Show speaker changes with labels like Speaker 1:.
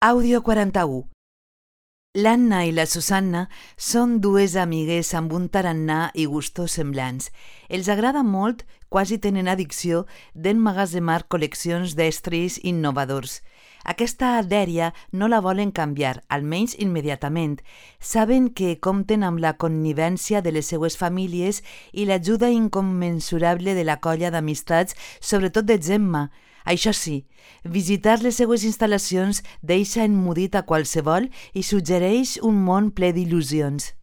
Speaker 1: Àudio 41. L'Anna i la Susanna són dues amigues amb un tarannà i gustos semblants. Els agrada molt, quasi tenen addicció, d'emmagatzemar col·leccions d'estris innovadors. Aquesta dèria no la volen canviar, almenys immediatament. Saben que compten amb la connivència de les seues famílies i l'ajuda incommensurable de la colla d'amistats, sobretot de Gemma. Això sí, visitar les seues instal·lacions deixa emmudit a qualsevol i suggereix un món ple d'il·lusions.